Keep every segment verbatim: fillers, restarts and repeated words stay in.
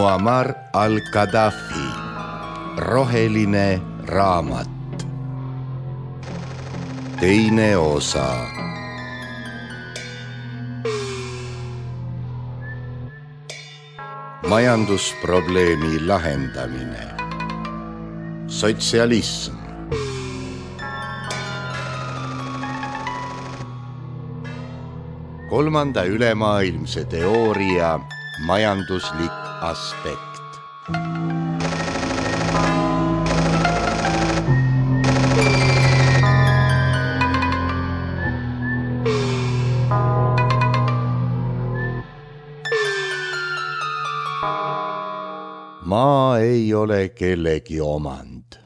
Muammar al-Gaddafi, roheline raamat. Teine osa. Majandusprobleemi lahendamine. Sotsialism. Kolmanda ülemaailmse teooria majanduslik aspekt. Maa ei ole kellegi omand,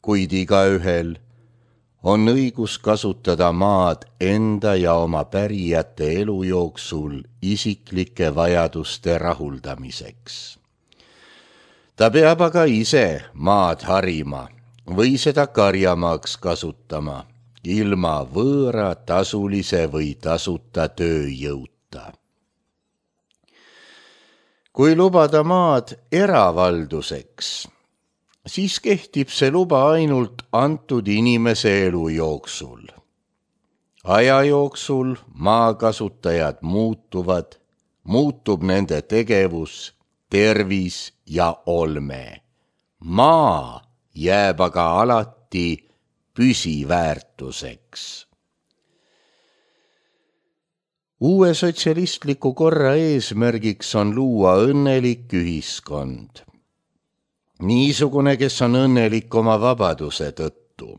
kuid igaühel on õigus kasutada maad enda ja oma pärijate elu jooksul isiklike vajaduste rahuldamiseks. Ta peab aga ise maad harima või seda karjamaaks kasutama ilma võõra tasulise või tasuta tööjõuta. Kui lubada maad eravalduseks, siis kehtib see luba ainult antud inimese elu jooksul. Aja jooksul maakasutajad muutuvad, muutub nende tegevus, tervis ja olme. Maa jääb aga alati püsiväärtuseks. Uue sotsialistliku korra eesmärgiks on luua õnnelik ühiskond. Niisugune, kes on õnnelik oma vabaduse tõttu.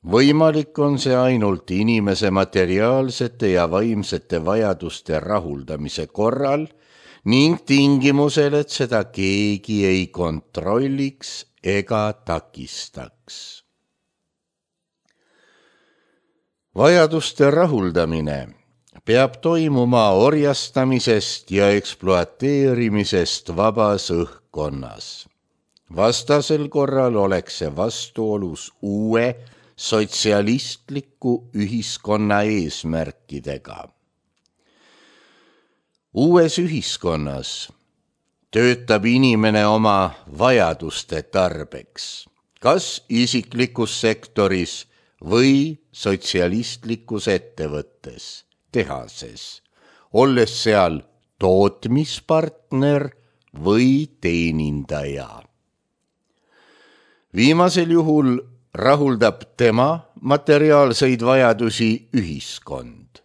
Võimalik on see ainult inimese materiaalsete ja vaimsete vajaduste rahuldamise korral ning tingimusel, et seda keegi ei kontrolliks ega takistaks. Vajaduste rahuldamine peab toimuma orjastamisest ja ekspluateerimisest vabas õhkkonnas. Vastasel korral oleks see vastuolus uue sotsialistliku ühiskonna eesmärkidega. Uues ühiskonnas töötab inimene oma vajaduste tarbeks, kas isiklikus sektoris või sotsialistlikus ettevõttes, tehases, olles seal tootmispartner või teenindaja. Viimasel juhul rahuldab tema materiaalseid vajadusi ühiskond.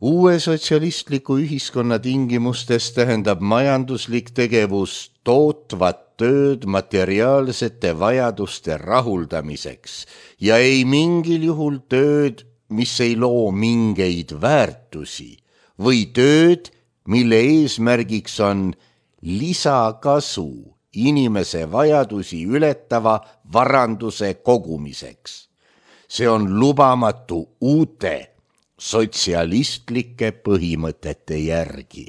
Uue sotsialistliku ühiskonna tingimustes tähendab majanduslik tegevus tootvat tööd materiaalsete vajaduste rahuldamiseks ja ei mingil juhul tööd, mis ei loo mingeid väärtusi või tööd, mille eesmärgiks on lisakasu inimese vajadusi ületava varanduse kogumiseks. See on lubamatu uute sotsialistlike põhimõtete järgi.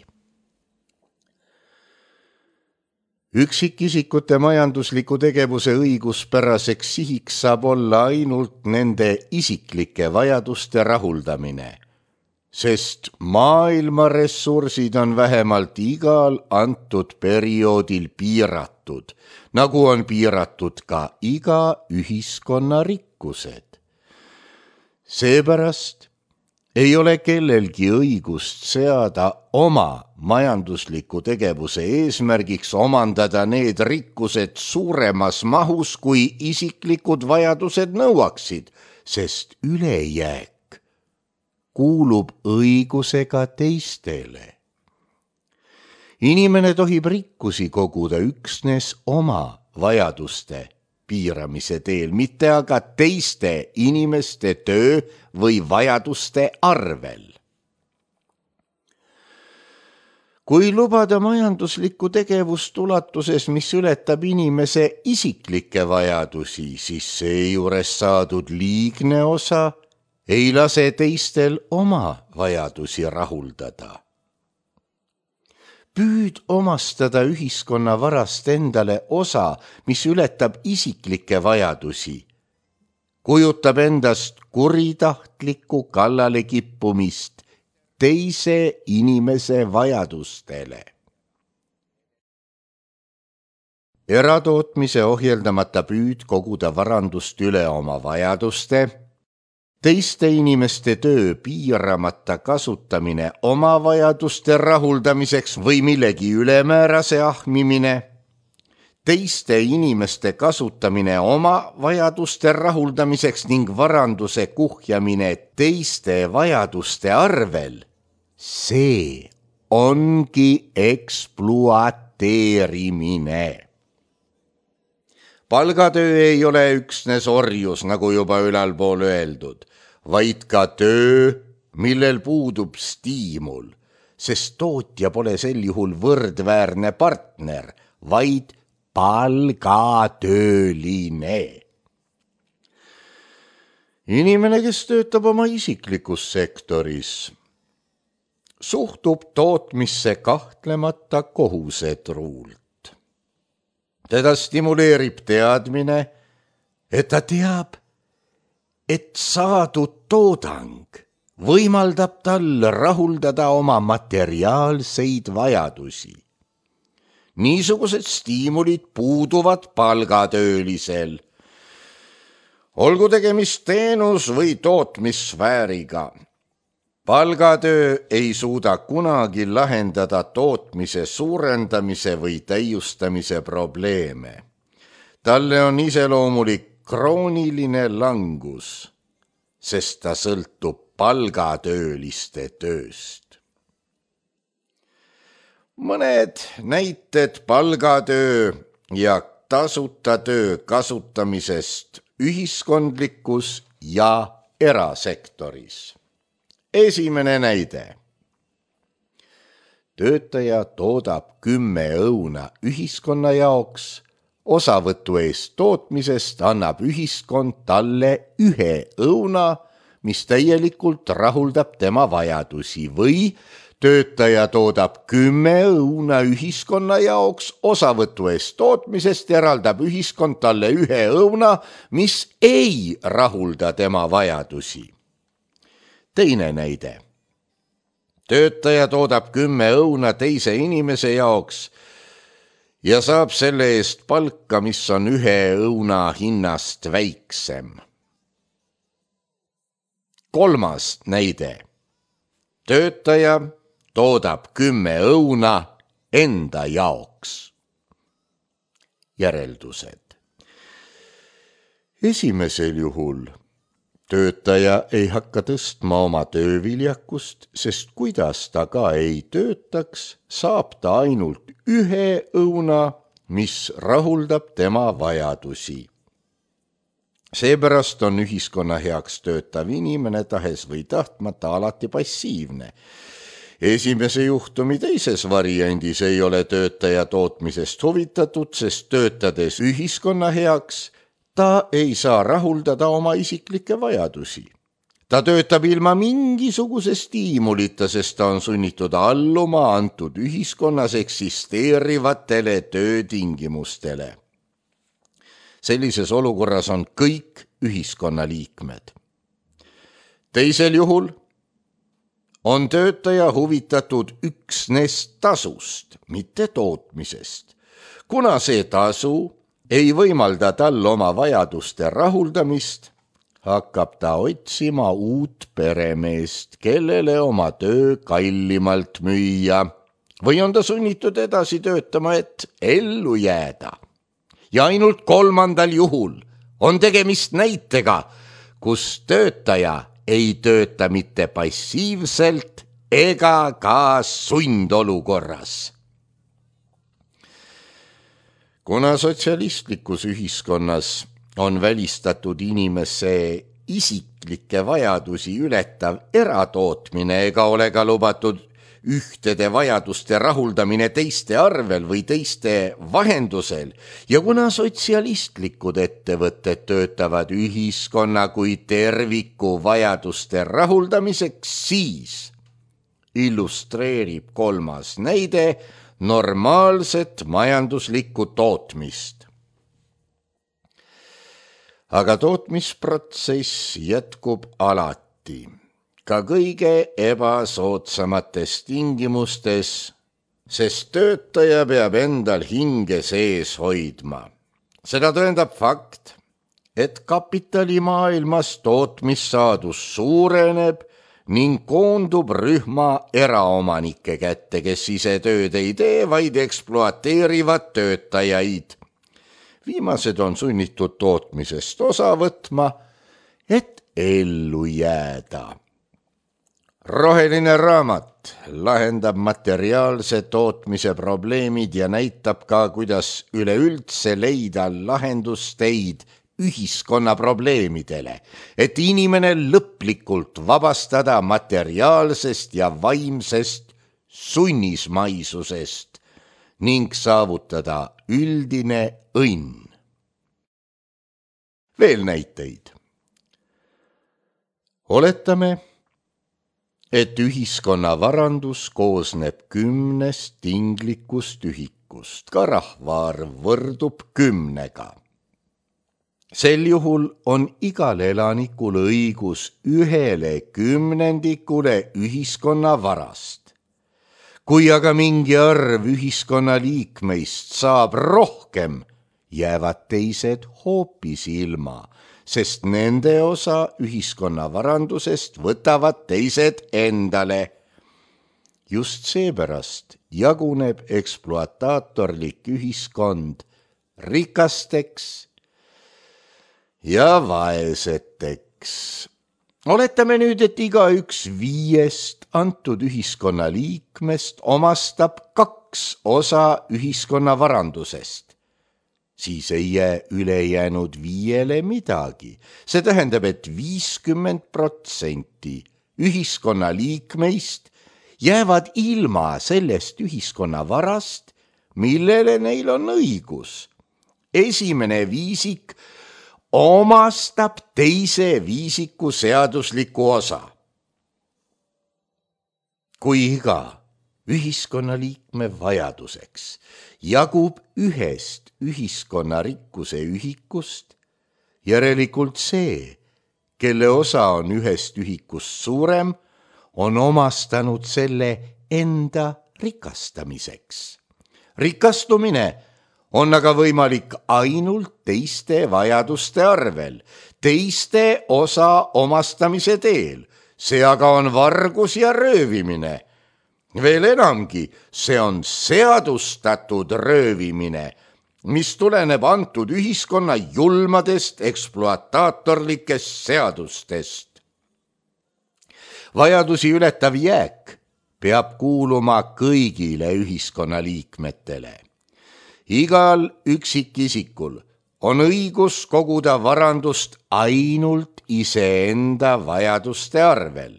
Üksikisikute majandusliku tegevuse õiguspäraseks sihiks saab olla ainult nende isiklike vajaduste rahuldamine, sest maailma ressursid on vähemalt igal antud perioodil piiratud, nagu on piiratud ka iga ühiskonna rikkused. Seepärast ei ole kellelgi õigust seada oma majandusliku tegevuse eesmärgiks omandada need rikkused suuremas mahus, kui isiklikud vajadused nõuaksid, sest ülejääk kuulub õigusega teistele. Inimene tohib rikkusi koguda üksnes oma vajaduste piiramise teel, mitte aga teiste inimeste töö või vajaduste arvel. Kui lubada majanduslikku tegevust ulatuses, mis ületab inimese isiklikke vajadusi, siis seejuures saadud liigne osa ei lase teistel oma vajadusi rahuldada. Püüd omastada ühiskonna varast endale osa, mis ületab isiklikke vajadusi, kujutab endast kuritahtlikku kallale kippumist teise inimese vajadustele. Eratootmise ohjeldamata püüd koguda varandust üle oma vajaduste, teiste inimeste töö piiramata kasutamine oma vajaduste rahuldamiseks või millegi ülemäärase ahmimine, teiste inimeste kasutamine oma vajaduste rahuldamiseks ning varanduse kuhjamine teiste vajaduste arvel, see ongi ekspluateerimine. Palgatöö ei ole üksnes orjus, nagu juba ülalpool öeldud, vaid ka töö, millel puudub stiimul, sest tootja pole sel juhul võrdväärne partner, vaid palgatööline. Inimene, kes töötab oma isiklikus sektoris, suhtub tootmisse kahtlemata kohusetruult. Teda stimuleerib teadmine, et ta teab, et saadud toodang võimaldab tal rahuldada oma materiaalseid vajadusi. Niisugused stiimulid puuduvad palgatöölisel. Olgu tegemist teenus- või tootmissfääriga. Palgatöö ei suuda kunagi lahendada tootmise suurendamise või täiustamise probleeme. Talle on iseloomulik krooniline langus, sest ta sõltub palgatööliste tööst. Mõned näited palgatöö ja tasuta töö kasutamisest ühiskondlikus ja erasektoris. Esimene näide. Töötaja toodab kümme õuna ühiskonna jaoks, osavõtu eest tootmisest annab ühiskond talle ühe õuna, mis täielikult rahuldab tema vajadusi, või töötaja toodab kümme õuna ühiskonna jaoks, osavõtu eest tootmisest eraldab ühiskond talle ühe õuna, mis ei rahulda tema vajadusi. Teine näide. Töötaja toodab kümme õuna teise inimese jaoks ja saab selle eest palka, mis on ühe õuna hinnast väiksem. Kolmas näide. Töötaja toodab kümme õuna enda jaoks. Järeldused. Esimesel juhul töötaja ei hakka tõstma oma tööviljakust, sest kuidas ta ka ei töötaks, saab ta ainult ühe õuna, mis rahuldab tema vajadusi. Seepärast on ühiskonna heaks töötav inimene tahes või tahtmata alati passiivne. Esimese juhtumi teises variandis ei ole töötaja tootmisest huvitatud, sest töötades ühiskonna heaks ta ei saa rahuldada oma isiklikke vajadusi. Ta töötab ilma mingisuguse stiimulita, sest ta on sunnitud alluma antud ühiskonnas eksisteerivatele töötingimustele. Sellises olukorras on kõik ühiskonnaliikmed. Teisel juhul on töötaja huvitatud üksnes tasust, mitte tootmisest. Kuna see tasu ei võimalda tal oma vajaduste rahuldamist, hakkab ta otsima uut peremeest, kellele oma töö kallimalt müüa, või on ta sunnitud edasi töötama, et ellu jääda. Ja ainult kolmandal juhul on tegemist näitega, kus töötaja ei tööta mitte passiivselt ega ka sundolukorras. Kuna sotsialistlikus ühiskonnas on välistatud inimese isiklikke vajadusi ületav eratootmine ega ole ka lubatud ühtede vajaduste rahuldamine teiste arvel või teiste vahendusel, ja kuna sotsialistlikud ettevõtted töötavad ühiskonna kui terviku vajaduste rahuldamiseks, siis illustreerib kolmas näide normaalset majanduslikku tootmist. Aga tootmisprotsess jätkub alati. ka kõige ebasoodsamates tingimustes, sest töötaja peab endal hinge sees hoidma. Seda tõendab fakt, et kapitalimaailmas tootmissaadus suureneb ning koondub rühma eraomanike kätte, kes ise tööd ei tee, vaid ekspluateerivad töötajaid. Viimased on sunnitud tootmisest osa võtma, et ellu jääda. Roheline raamat lahendab materiaalse tootmise probleemid ja näitab ka, kuidas üleüldse leida lahendusteid ühiskonna probleemidele, et inimene lõplikult vabastada materiaalsest ja vaimsest sunnismaisusest ning saavutada üldine õnn. Veel näiteid. Oletame, et ühiskonna varandus koosneb kümnest tinglikust ühikust, ka rahvaarv võrdub kümnega. Sel juhul on igal elanikul õigus ühele kümnendikule ühiskonna varast. Kui aga mingi arv ühiskonna liikmeist saab rohkem, jäävad teised hoopis ilma, sest nende osa ühiskonna varandusest võtavad teised endale. Just seepärast jaguneb ekspluataatorlik ühiskond rikasteks ja vaeseteks. Oletame nüüd, et igaüks viiest antud ühiskonna liikmest omastab kaks osa ühiskonna varandusest. Siis ei jää ülejäänud viiele midagi. See tähendab, et viiskümmend protsenti ühiskonna liikmeist jäävad ilma sellest ühiskonna varast, millele neil on õigus. Esimene viisik omastab teise viisiku seadusliku osa. Kui iga ühiskonnaliikme vajaduseks jagub ühest ühiskonna rikkuse ühikust, järelikult see, kelle osa on ühest ühikust suurem, on omastanud selle enda rikastamiseks. Rikastumine on aga võimalik ainult teiste vajaduste arvel, teiste osa omastamise teel. See aga on vargus ja röövimine. Veel enamgi, see on seadustatud röövimine, mis tuleneb antud ühiskonna julmadest ekspluataatorlikest seadustest. Vajadusi ületav jääk peab kuuluma kõigile ühiskonna liikmetele. Igal üksikisikul on õigus koguda varandust ainult iseenda vajaduste arvel.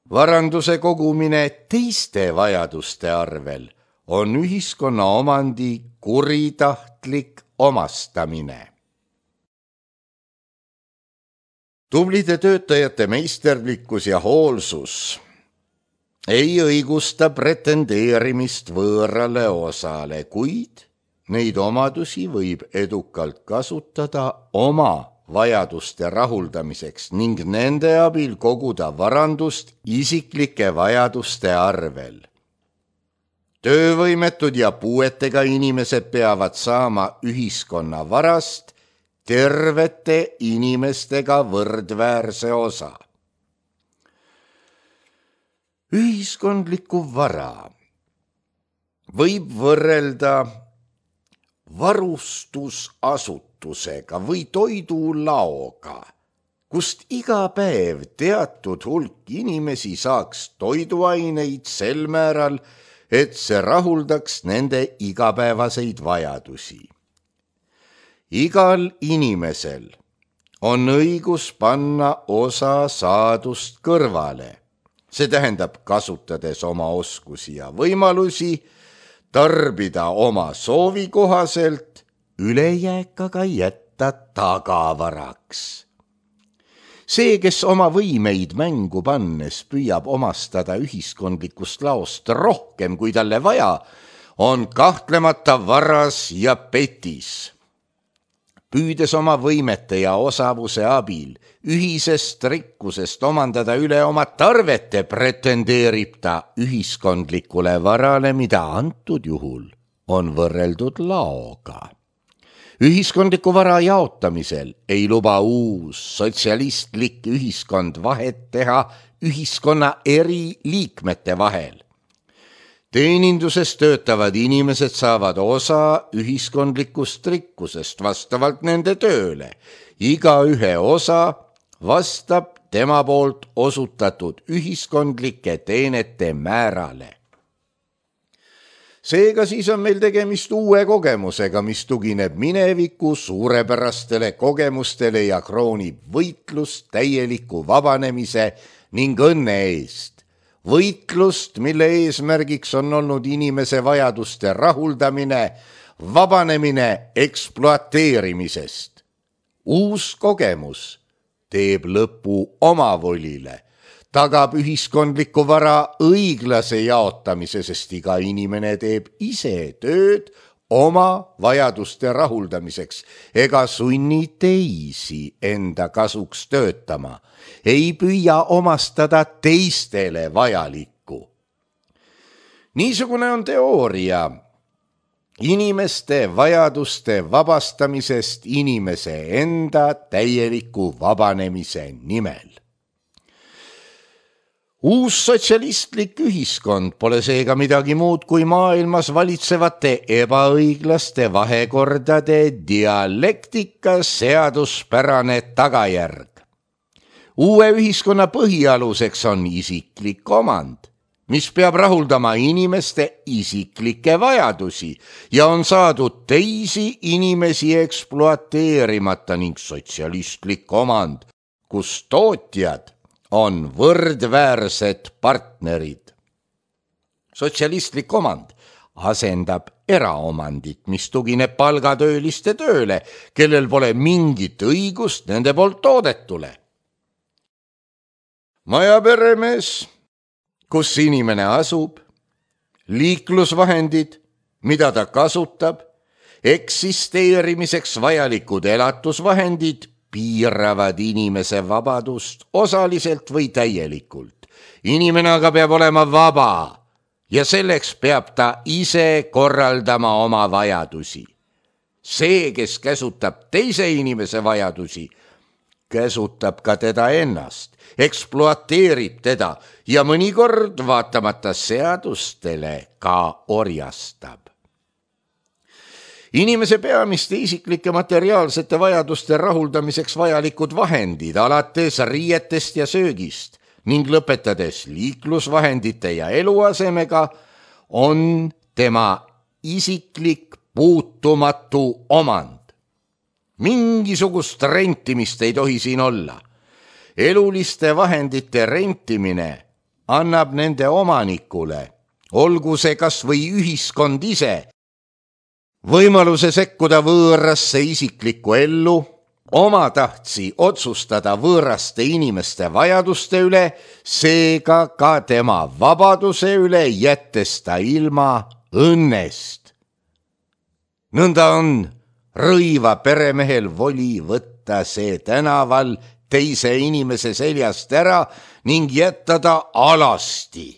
Varanduse kogumine teiste vajaduste arvel on ühiskonna omandi kuritahtlik omastamine. Tublide töötajate meisterlikkus ja hoolsus ei õigusta pretendeerimist võõrale osale, kuid neid omadusi võib edukalt kasutada oma vajaduste rahuldamiseks ning nende abil koguda varandust isiklike vajaduste arvel. Töövõimetud ja puuetega inimesed peavad saama ühiskonna varast tervete inimestega võrdväärse osa. Ühiskondliku vara võib võrrelda varustusasutusega või toidulaoga, kust iga päev teatud hulk inimesi saaks toiduaineid sel määral, et see rahuldaks nende igapäevaseid vajadusi. Igal inimesel on õigus panna osa saadust kõrvale. See tähendab, kasutades oma oskusi ja võimalusi, tarbida oma soovi kohaselt, ülejääk aga jätta tagavaraks. See, kes oma võimeid mängu pannes püüab omastada ühiskondlikust laost rohkem, kui talle vaja, on kahtlemata varas ja petis. püüdes oma võimete ja osavuse abil ühisest rikkusest omandada üle oma tarvete, pretendeerib ta ühiskondlikule varale, mida antud juhul on võrreldud laoga. Ühiskondliku vara jaotamisel ei luba uus sotsialistlik ühiskond vahet teha ühiskonna eri liikmete vahel. Teeninduses töötavad inimesed saavad osa ühiskondlikust rikkusest vastavalt nende tööle. Iga ühe osa vastab tema poolt osutatud ühiskondlike teenete määrale. Seega siis on meil tegemist uue kogemusega, mis tugineb mineviku suurepärastele kogemustele ja kroonib võitlust täieliku vabanemise ning õnne eest. Võitlust, mille eesmärgiks on olnud inimese vajaduste rahuldamine, vabanemine ekspluateerimisest. Uus kogemus teeb lõpu omavolile, tagab ühiskondliku vara õiglase jaotamise, sest iga inimene teeb ise tööd oma vajaduste rahuldamiseks ega sunni teisi enda kasuks töötama, ei püüa omastada teistele vajalikku. Niisugune on teooria inimeste vajaduste vabastamisest inimese enda täieliku vabanemise nimel. Uus sotsialistlik ühiskond pole seega midagi muud kui maailmas valitsevate ebaõiglaste vahekordade dialektika seaduspärane tagajärg. Uue ühiskonna põhialuseks on isiklik omand, mis peab rahuldama inimeste isiklikke vajadusi ja on saadud teisi inimesi ekspluateerimata ning sotsialistlik omand, kus tootjad on võrdväärsed partnerid. Sotsialistlik omand asendab eraomandit, mis tugineb palgatööliste tööle, kellel pole mingit õigust nende poolt toodetule. Majaperemees, kus inimene asub, liiklusvahendid, mida ta kasutab, eksisteerimiseks vajalikud elatusvahendid, piiravad inimese vabadust osaliselt või täielikult. Inimene aga peab olema vaba ja selleks peab ta ise korraldama oma vajadusi. See, kes käsutab teise inimese vajadusi, käsutab ka teda ennast, ekspluateerib teda ja mõnikord vaatamata seadustele ka orjastab. Inimese peamiste isiklike materiaalsete vajaduste rahuldamiseks vajalikud vahendid alates riietest ja söögist ning lõpetades liiklusvahendite ja eluasemega on tema isiklik puutumatu omand. Mingisugust rentimist ei tohi siin olla. Eluliste vahendite rentimine annab nende omanikule, olgu see kas või ühiskond ise, võimaluse sekkuda võõrasse isiklikku ellu, omatahtsi otsustada võõraste inimeste vajaduste üle, seega ka tema vabaduse üle, jättes ta ilma õnnest. Nõnda on rõiva peremehel voli võtta see tänaval teise inimese seljast ära ning jätta ta alasti.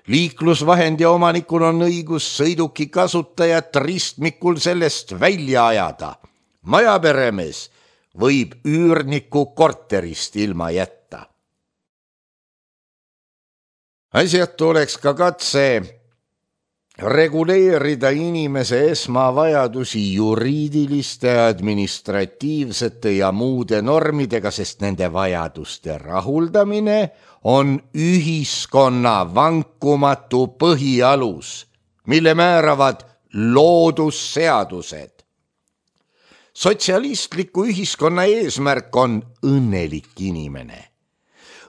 Liiklusvahendi omanikul on õigus sõiduki kasutajat ristmikul sellest välja ajada. Majaperemees võib üürniku korterist ilma jätta. Asjatu oleks ka katse reguleerida inimese esmavajadusi juriidiliste, administratiivsete ja muude normidega, sest nende vajaduste rahuldamine on ühiskonna vankumatu põhialus, mille määravad loodusseadused. Sotsialistliku ühiskonna eesmärk on õnnelik inimene.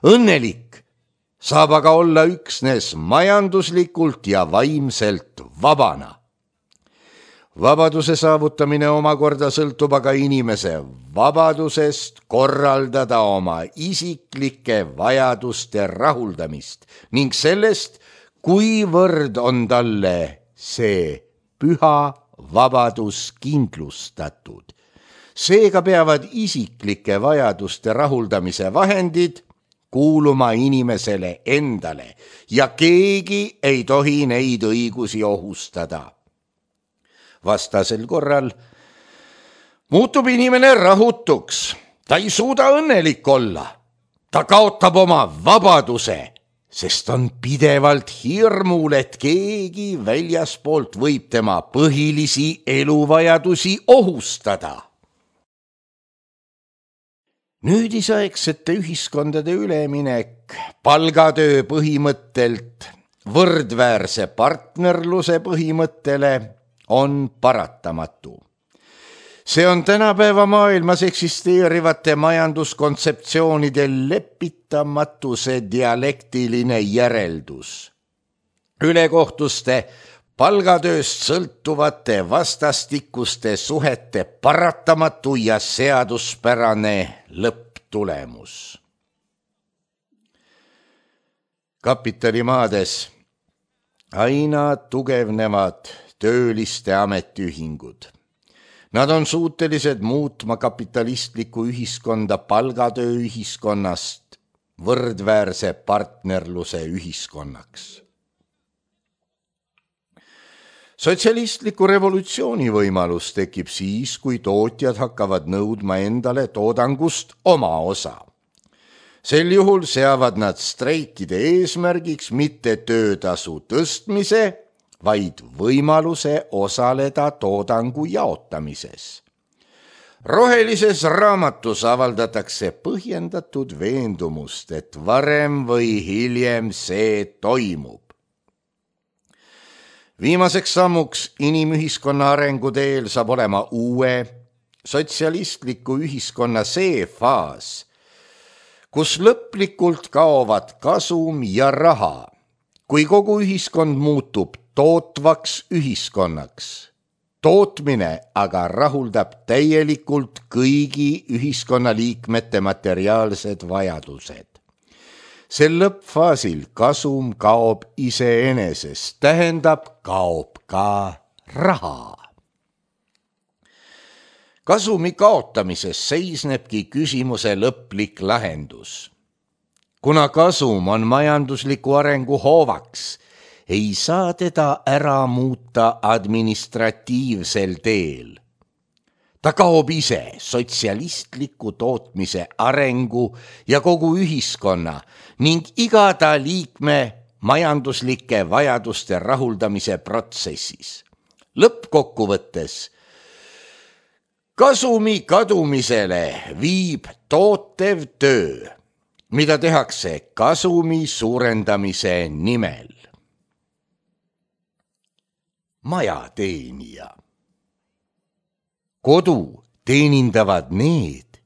Õnnelik saab aga olla üksnes majanduslikult ja vaimselt vabana. Vabaduse saavutamine omakorda sõltub aga inimese vabadusest korraldada oma isiklike vajaduste rahuldamist ning sellest, kuivõrd on talle see püha vabadus kindlustatud. Seega peavad isiklike vajaduste rahuldamise vahendid kuuluma inimesele endale ja keegi ei tohi neid õigusi ohustada. Vastasel korral muutub inimene rahutuks, ta ei suuda õnnelik olla, ta kaotab oma vabaduse, sest on pidevalt hirmul, et keegi väljaspoolt võib tema põhilisi eluvajadusi ohustada. Nüüdisaegsete ühiskondade üleminek palgatöö põhimõttelt võrdväärse partnerluse põhimõttele on paratamatu. See on tänapäeva maailmas eksisteerivate majanduskontseptsioonide lepitamatuse dialektiline järeldus. Ülekohtuste palgatööst sõltuvate vastastikuste suhete paratamatu ja seaduspärane lõpptulemus. Kapitalimaades aina tugevnevad tööliste ametiühingud. Nad on suutelised muutma kapitalistlikku ühiskonda palgatööühiskonnast võrdväärse partnerluse ühiskonnaks. Sotsialistliku revolutsiooni võimalus tekib siis, kui tootjad hakkavad nõudma endale toodangust oma osa. Sel juhul seavad nad streikide eesmärgiks mitte töötasu tõstmise, vaid võimaluse osaleda toodangu jaotamises. Rohelises raamatus avaldatakse põhjendatud veendumust, et varem või hiljem see toimub. Viimaseks sammuks inimühiskonna arenguteel saab olema uue sotsialistliku ühiskonna see faas, kus lõplikult kaovad kasum ja raha, kui kogu ühiskond muutub tootvaks ühiskonnaks. Tootmine aga rahuldab täielikult kõigi ühiskonnaliikmete materiaalsed vajadused. Sel lõppfaasil kasum kaob iseenesest, tähendab kaob ka raha. Kasumi kaotamises seisnebki küsimuse lõplik lahendus. Kuna kasum on majandusliku arengu hoovaks, ei saa teda ära muuta administratiivsel teel. Ta kaob ise sotsialistliku tootmise arengu ja kogu ühiskonna ning iga ta liikme majanduslike vajaduste rahuldamise protsessis. Lõppkokkuvõttes kasumi kadumisele viib tootev töö, mida tehakse kasumi suurendamise nimel. Majateenija. Kodu teenindavad need,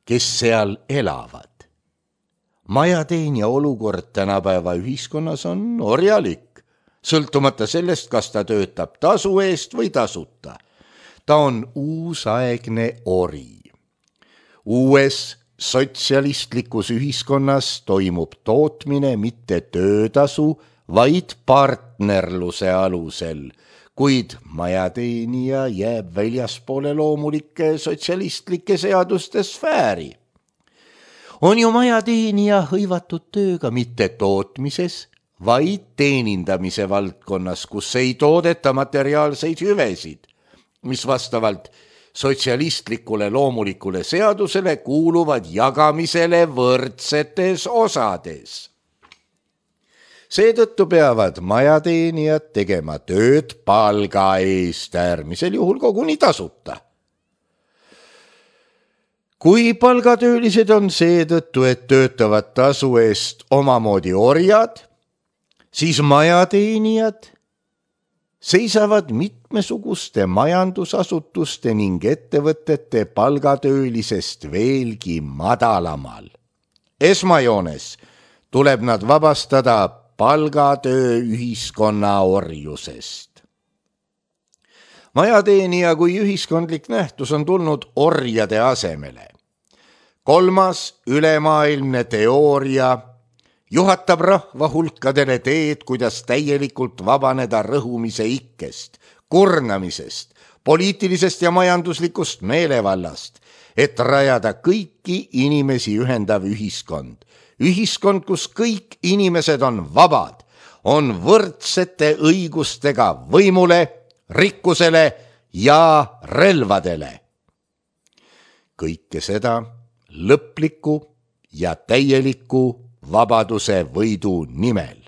kes seal elavad. Majateenija olukord tänapäeva ühiskonnas on orjalik, sõltumata sellest, kas ta töötab tasu eest või tasuta. Ta on uusaegne ori. Uues sotsialistlikus ühiskonnas toimub tootmine mitte töötasu, vaid partnerluse alusel, kuid majateenija jääb väljaspoole loomulikke sotsialistlikke seaduste sfääri. On ju majateenija hõivatud tööga mitte tootmises, vaid teenindamise valdkonnas, kus ei toodeta materiaalseid hüvesid, mis vastavalt sotsialistlikule loomulikule seadusele kuuluvad jagamisele võrdsetes osades. Seetõttu peavad majateenijad tegema tööd palga eest, äärmisel juhul koguni tasuta. Kui palgatöölised on seetõttu, et töötavad tasu eest omamoodi orjad, siis majateenijad seisavad mitmesuguste majandusasutuste ning ettevõtete palgatöölisest veelgi madalamal. Esmajoones tuleb nad vabastada palgatöö ühiskonna orjusest. Majateenija kui ühiskondlik nähtus on tulnud orjade asemele. Kolmas ülemaailmne teooria juhatab rahva hulkadele teed, kuidas täielikult vabaneda rõhumise ikkest, kurnamisest, poliitilisest ja majanduslikust meelevallast et rajada kõiki inimesi ühendav ühiskond. Ühiskond, kus kõik inimesed on vabad, on võrdsete õigustega võimule, rikkusele ja relvadele. Kõike seda lõpliku ja täieliku vabaduse võidu nimel.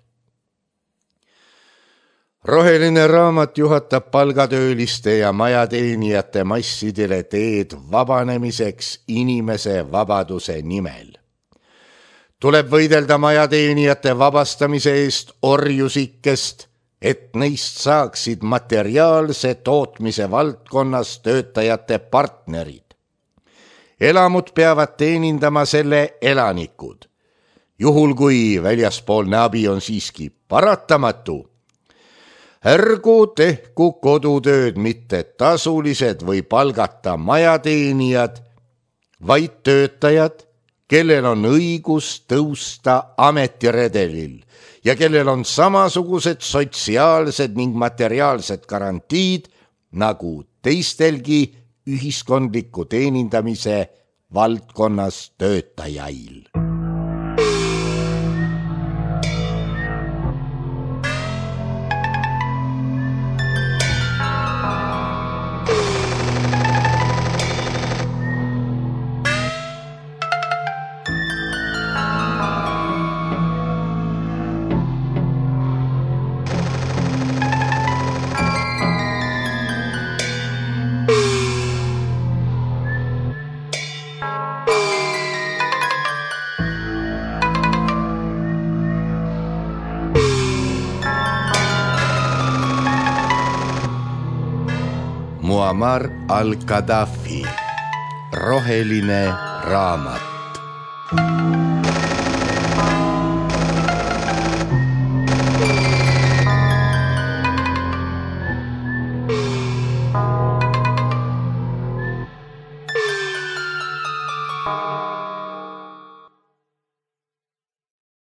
Roheline raamat juhatab palgatööliste ja majateenijate massidele teed vabanemiseks inimese vabaduse nimel. Tuleb võidelda majateenijate vabastamise eest orjusikkest, et neist saaksid materiaalse tootmise valdkonnas töötajate partnerid. Elamud peavad teenindama selle elanikud. Juhul kui väljaspoolne abi on siiski paratamatu, ärgu tehku kodutööd mitte tasulised või palgata majateenijad, vaid töötajad, kellel on õigus tõusta ametiredelil ja kellel on samasugused sotsiaalsed ning materiaalsed garantiid nagu teistelgi ühiskondliku teenindamise valdkonnas töötajail. Muammar al-Gaddafi, Roheline raamat.